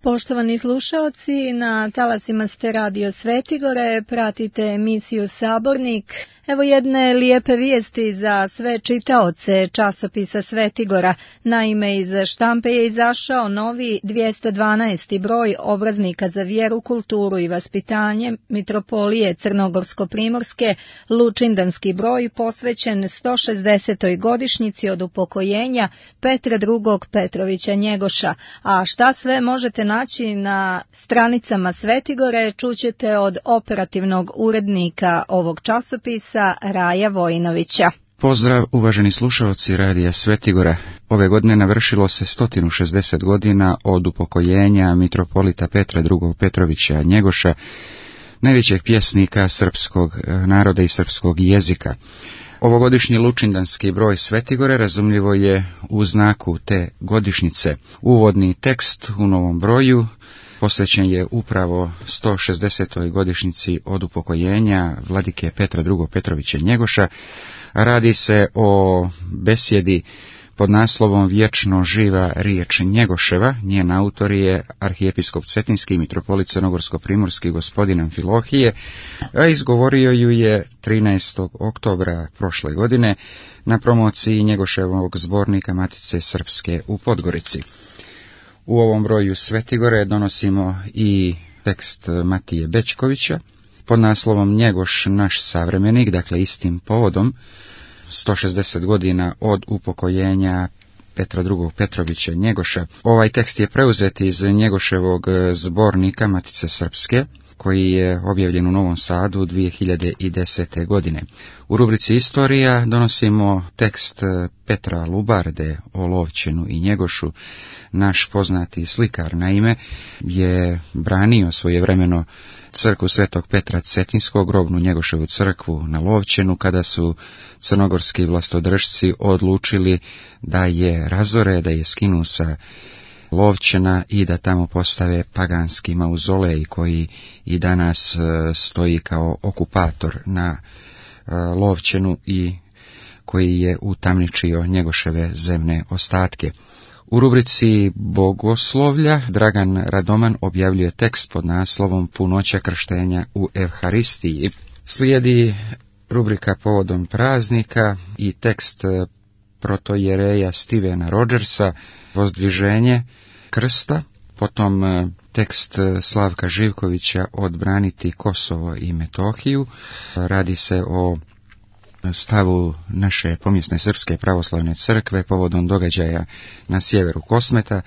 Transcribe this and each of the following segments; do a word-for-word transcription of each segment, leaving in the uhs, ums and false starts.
Poštovani slušaoci, na talasima ste Radio Svetigore, pratite emisiju Sabornik. Evo jedne lijepe vijesti za sve čitaoce časopisa Svetigora. Naime, iz štampe je izašao novi dvjesto dvanaesti broj obraznika za vjeru, kulturu i vaspitanje Mitropolije Crnogorsko-primorske, lučindanski broj posvećen sto šezdesetoj godišnjici od upokojenja Petra drugog Petrovića Njegoša. A šta sve možete naći na stranicama Svetigore, čućete od operativnog urednika ovog časopisa, Raja Vojinovića. Pozdrav uvaženi slušaoci Radija Svetigora. Ove godine navršilo se sto šezdeset godina od upokojenja mitropolita Petra drugog Petrovića Njegoša, najvećeg pjesnika srpskog naroda i srpskog jezika. Ovogodišnji lučindanski broj Svetigore razumljivo je u znaku te godišnjice. Uvodni tekst u novom broju posvećen je upravo sto šezdesetoj godišnjici od upokojenja vladike Petra drugog Petrovića Njegoša. Radi se o besjedi pod naslovom Vječno živa riječ Njegoševa. Njen autor je arhijepiskop Cetinski mitropolit Crnogorsko-primorski gospodin Amfilohije, a izgovorio ju je trinaestog oktobra prošle godine na promociji Njegoševog zbornika Matice Srpske u Podgorici. U ovom broju Svetigore donosimo i tekst Matije Bećkovića pod naslovom Njegoš naš savremenik, dakle istim povodom sto šezdeset godina od upokojenja Petra drugog Petrovića Njegoša. Ovaj tekst je preuzet iz Njegoševog zbornika Matice Srpske, koji je objavljen u Novom Sadu dvije hiljade desete. godine. U rubrici Istorija donosimo tekst Petra Lubarde o Lovćenu i Njegošu. Naš poznati slikar, naime, je branio svojevremeno crkvu Svetog Petra Cetinskog, grobnu Njegoševu crkvu na Lovćenu, kada su crnogorski vlastodržci odlučili da je razore, da je skinu sa Lovćena i da tamo postave paganski mauzolej koji i danas stoji kao okupator na Lovćenu i koji je utamničio Njegoševe zemne ostatke. U rubrici Bogoslovlja Dragan Radoman objavljuje tekst pod naslovom Punoća krštenja u Evharistiji. Slijedi rubrika Povodom praznika i tekst protojereja Stevena Rodgersa Vozdviženje krsta, potom tekst Slavka Živkovića Odbraniti Kosovo i Metohiju. Radi se o stavu naše pomjesne Srpske pravoslavne crkve povodom događaja na sjeveru Kosmeta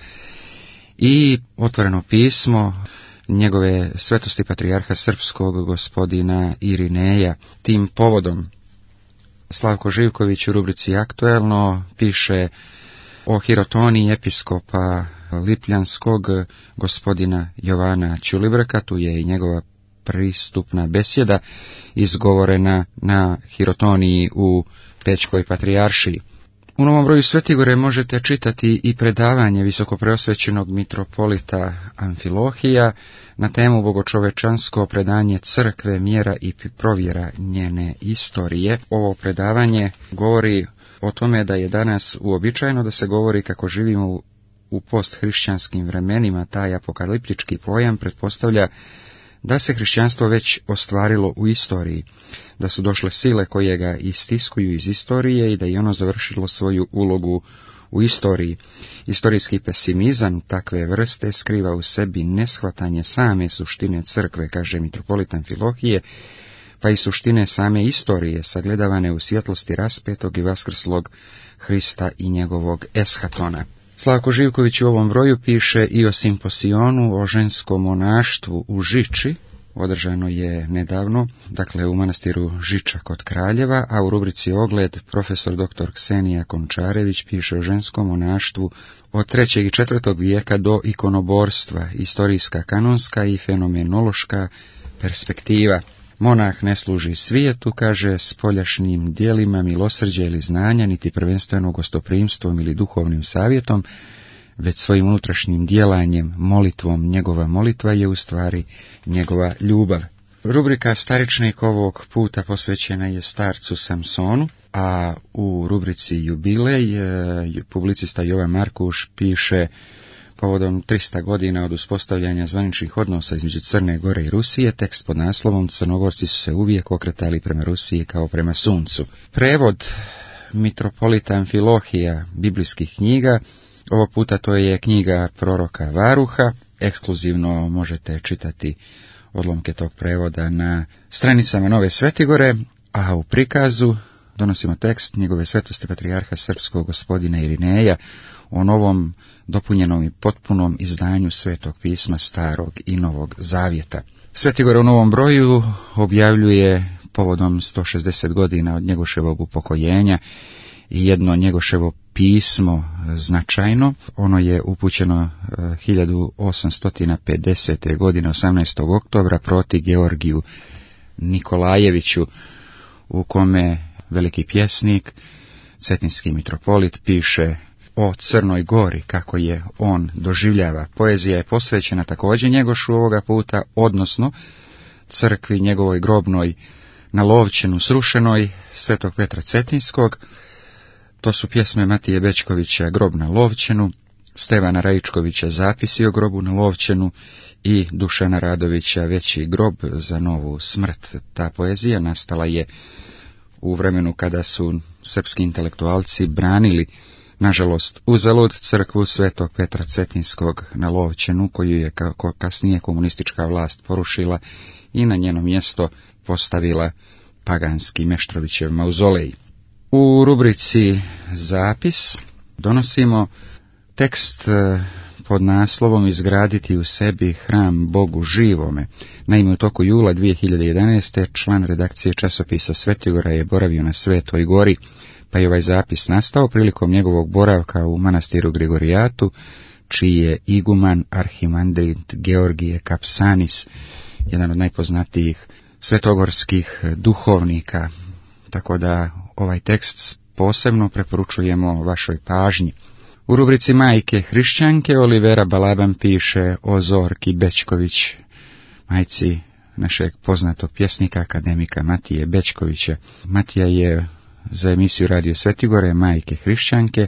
i otvoreno pismo njegove svetosti patrijarha srpskog gospodina Irineja. Tim povodom Slavko Živković u rubrici Aktuelno piše o hirotoniji episkopa Lipljanskog gospodina Jovana Ćulibrka. Tu je i njegova pristupna besjeda izgovorena na hirotoniji u Pećkoj patrijaršiji. U novom broju Svetigore možete čitati i predavanje visokopreosvećenog mitropolita Amfilohija na temu Bogočovečansko predanje crkve, mjera i provjera njene istorije. Ovo predavanje govori o tome da je danas uobičajeno da se govori kako živimo u posthrišćanskim vremenima. Taj apokaliptički pojam pretpostavlja da se hrišćanstvo već ostvarilo u istoriji, da su došle sile koje ga istiskuju iz istorije i da je ono završilo svoju ulogu u istoriji. Istorijski pesimizam takve vrste skriva u sebi neshvatanje same suštine crkve, kaže mitropolit Amfilohije, pa i suštine same istorije, sagledavane u svjetlosti raspetog i vaskrslog Hrista i njegovog eshatona. Slavko Živković u ovom broju piše i o simposionu o ženskom monaštvu u Žiči, održano je nedavno, dakle u manastiru Žiča kod Kraljeva, a u rubrici Ogled profesor doktor Ksenija Končarević piše o ženskom monaštvu od trećeg i četvrtog vijeka do ikonoborstva, istorijska, kanonska i fenomenološka perspektiva. Monah ne služi svijetu, kaže, spoljašnjim dijelima milosrđa ili znanja, niti prvenstveno gostoprimstvom ili duhovnim savjetom, već svojim unutrašnjim djelanjem, molitvom. Njegova molitva je u stvari njegova ljubav. Rubrika Staričnik ovog puta posvećena je starcu Samsonu, a u rubrici Jubilej publicista Jovan Markuš piše povodom trista godina od uspostavljanja zvaničnih odnosa između Crne Gore i Rusije, tekst pod naslovom Crnogorci su se uvijek okretali prema Rusiji kao prema suncu. Prevod mitropolita Amfilohija biblijskih knjiga, ovog puta to je knjiga proroka Varuha, ekskluzivno možete čitati odlomke tog prevoda na stranicama Nove Svetigore, a u prikazu donosimo tekst njegove svetosti patrijarha srpskog gospodina Irineja o novom, dopunjenom i potpunom izdanju Svetog pisma Starog i Novog Zavjeta. Svetigor u novom broju objavljuje povodom sto šezdeset godina od Njegoševog upokojenja i jedno Njegoševo pismo značajno. Ono je upućeno hiljadu osamsto pedesete. godine osamnaestog oktobra proti Georgiju Nikolajeviću, u kome veliki pjesnik, cetinski mitropolit, piše o Crnoj Gori, kako je on doživljava. Poezija je posvećena također Njegošu ovoga puta, odnosno crkvi njegovoj grobnoj na Lovćenu srušenoj Svetog Petra Cetinskog. To su pjesme Matije Bečkovića Grob na Lovćenu, Stevana Rajičkovića Zapisi o grobu na Lovćenu i Dušana Radovića Veći grob za novu smrt. Ta poezija nastala je u vremenu kada su srpski intelektualci branili, nažalost uzalud, crkvu Svetog Petra Cetinskog na Lovćenu, koju je kako kasnije komunistička vlast porušila i na njeno mjesto postavila paganski Meštrovićev mauzolej. U rubrici Zapis donosimo tekst pod naslovom Izgraditi u sebi hram Bogu živome. Naime, u toku jula dvije hiljade jedanaeste. član redakcije časopisa Svetigora je boravio na Svetoj Gori, pa je ovaj zapis nastao prilikom njegovog boravka u manastiru Grigorijatu, čiji je iguman arhimandrit Georgije Kapsanis, jedan od najpoznatijih svetogorskih duhovnika, tako da ovaj tekst posebno preporučujemo vašoj pažnji. U rubrici Majke hrišćanke Olivera Balaban piše o Zorki Bečković, majci našeg poznatog pjesnika, akademika Matije Bečkovića. Matija je za emisiju Radio Svetigore Majke hrišćanke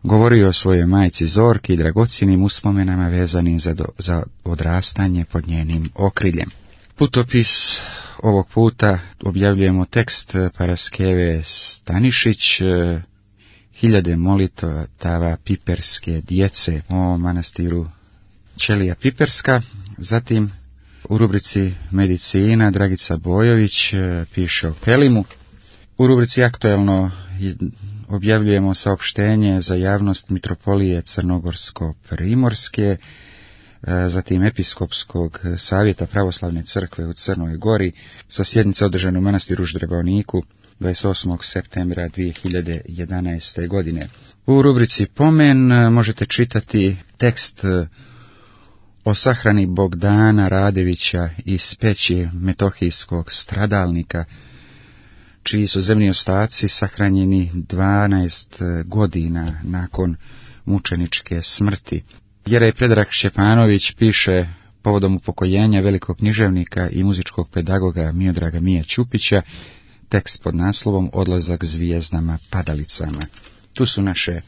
govorio o svojoj majci Zorki i dragocjenim uspomenama vezanim za, do, za odrastanje pod njenim okriljem. Putopis ovog puta objavljujemo tekst Paraskeve Stanišić, Hiljade molitava piperske djece o manastiru Ćelija Piperska. Zatim u rubrici Medicina Dragica Bojović piše o Pelimu. U rubrici Aktuelno objavljujemo saopštenje za javnost Mitropolije Crnogorsko-Primorske, zatim Episkopskog savjeta Pravoslavne crkve u Crnoj Gori sa sjednice održane u manastiru Ždrebovniku dvadeset osmog septembra dvije hiljade jedanaeste. godine. U rubrici Pomen možete čitati tekst o sahrani Bogdana Radevića iz peći metohijskog stradalnika, čiji su zemni ostaci sahranjeni dvanaest godina nakon mučeničke smrti. Jerej Predrag Šćepanović piše povodom upokojenja velikog književnika i muzičkog pedagoga Miodraga Mija Ćupića, tekst pod naslovom Odlazak zvijezdama padalicama. Tu su naše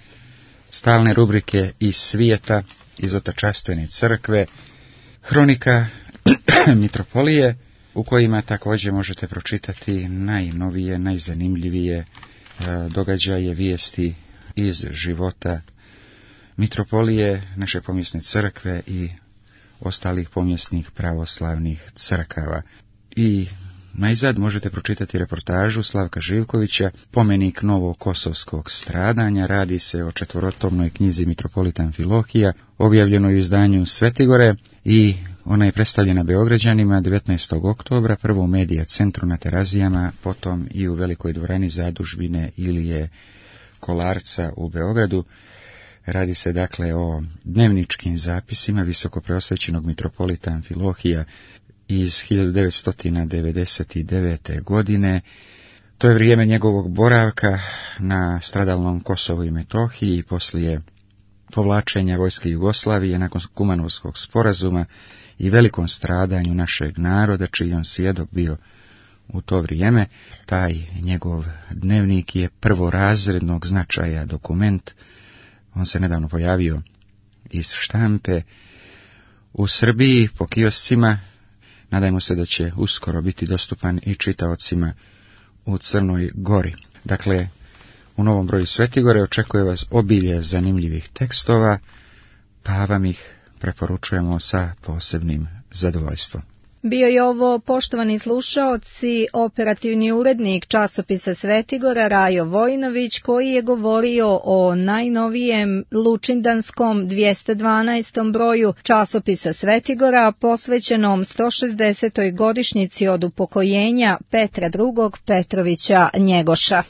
stalne rubrike iz svijeta, iz otačastvene crkve, hronika Mitropolije, u kojima također možete pročitati najnovije, najzanimljivije događaje, vijesti iz života Mitropolije, naše pomjesne crkve i ostalih pomjesnih pravoslavnih crkava. I najzad možete pročitati reportažu Slavka Živkovića, Pomenik novokosovskog stradanja. Radi se o četvorotomnoj knjizi Mitropolita Amfilohija, objavljenoj u izdanju Svetigore, i ona je predstavljena Beograđanima devetnaestog oktobra, prvo u Medija centru na Terazijama, potom i u velikoj dvorani zadužbine Ilije Kolarca u Beogradu. Radi se dakle o dnevničkim zapisima visokopreosvećenog mitropolita Amfilohija iz hiljadu devetsto devedeset devete. godine. To je vrijeme njegovog boravka na stradalnom Kosovu i Metohiji i poslije povlačenja vojske Jugoslavije nakon Kumanovskog sporazuma i velikom stradanju našeg naroda, čiji on svjedok bio u to vrijeme. Taj njegov dnevnik je prvorazrednog značaja dokument. On se nedavno pojavio iz štampe u Srbiji po kioscima. Nadajmo se da će uskoro biti dostupan i čitaocima u Crnoj Gori. Dakle, u novom broju Svetigore očekuje vas obilje zanimljivih tekstova, pa vam ih preporučujemo sa posebnim zadovoljstvom. Bio je ovo, poštovani slušaoci, operativni urednik časopisa Svetigora Rajo Vojinović, koji je govorio o najnovijem lučindanskom dvjesto dvanaestom broju časopisa Svetigora, posvećenom sto šezdesetoj godišnjici od upokojenja Petra drugog Petrovića Njegoša.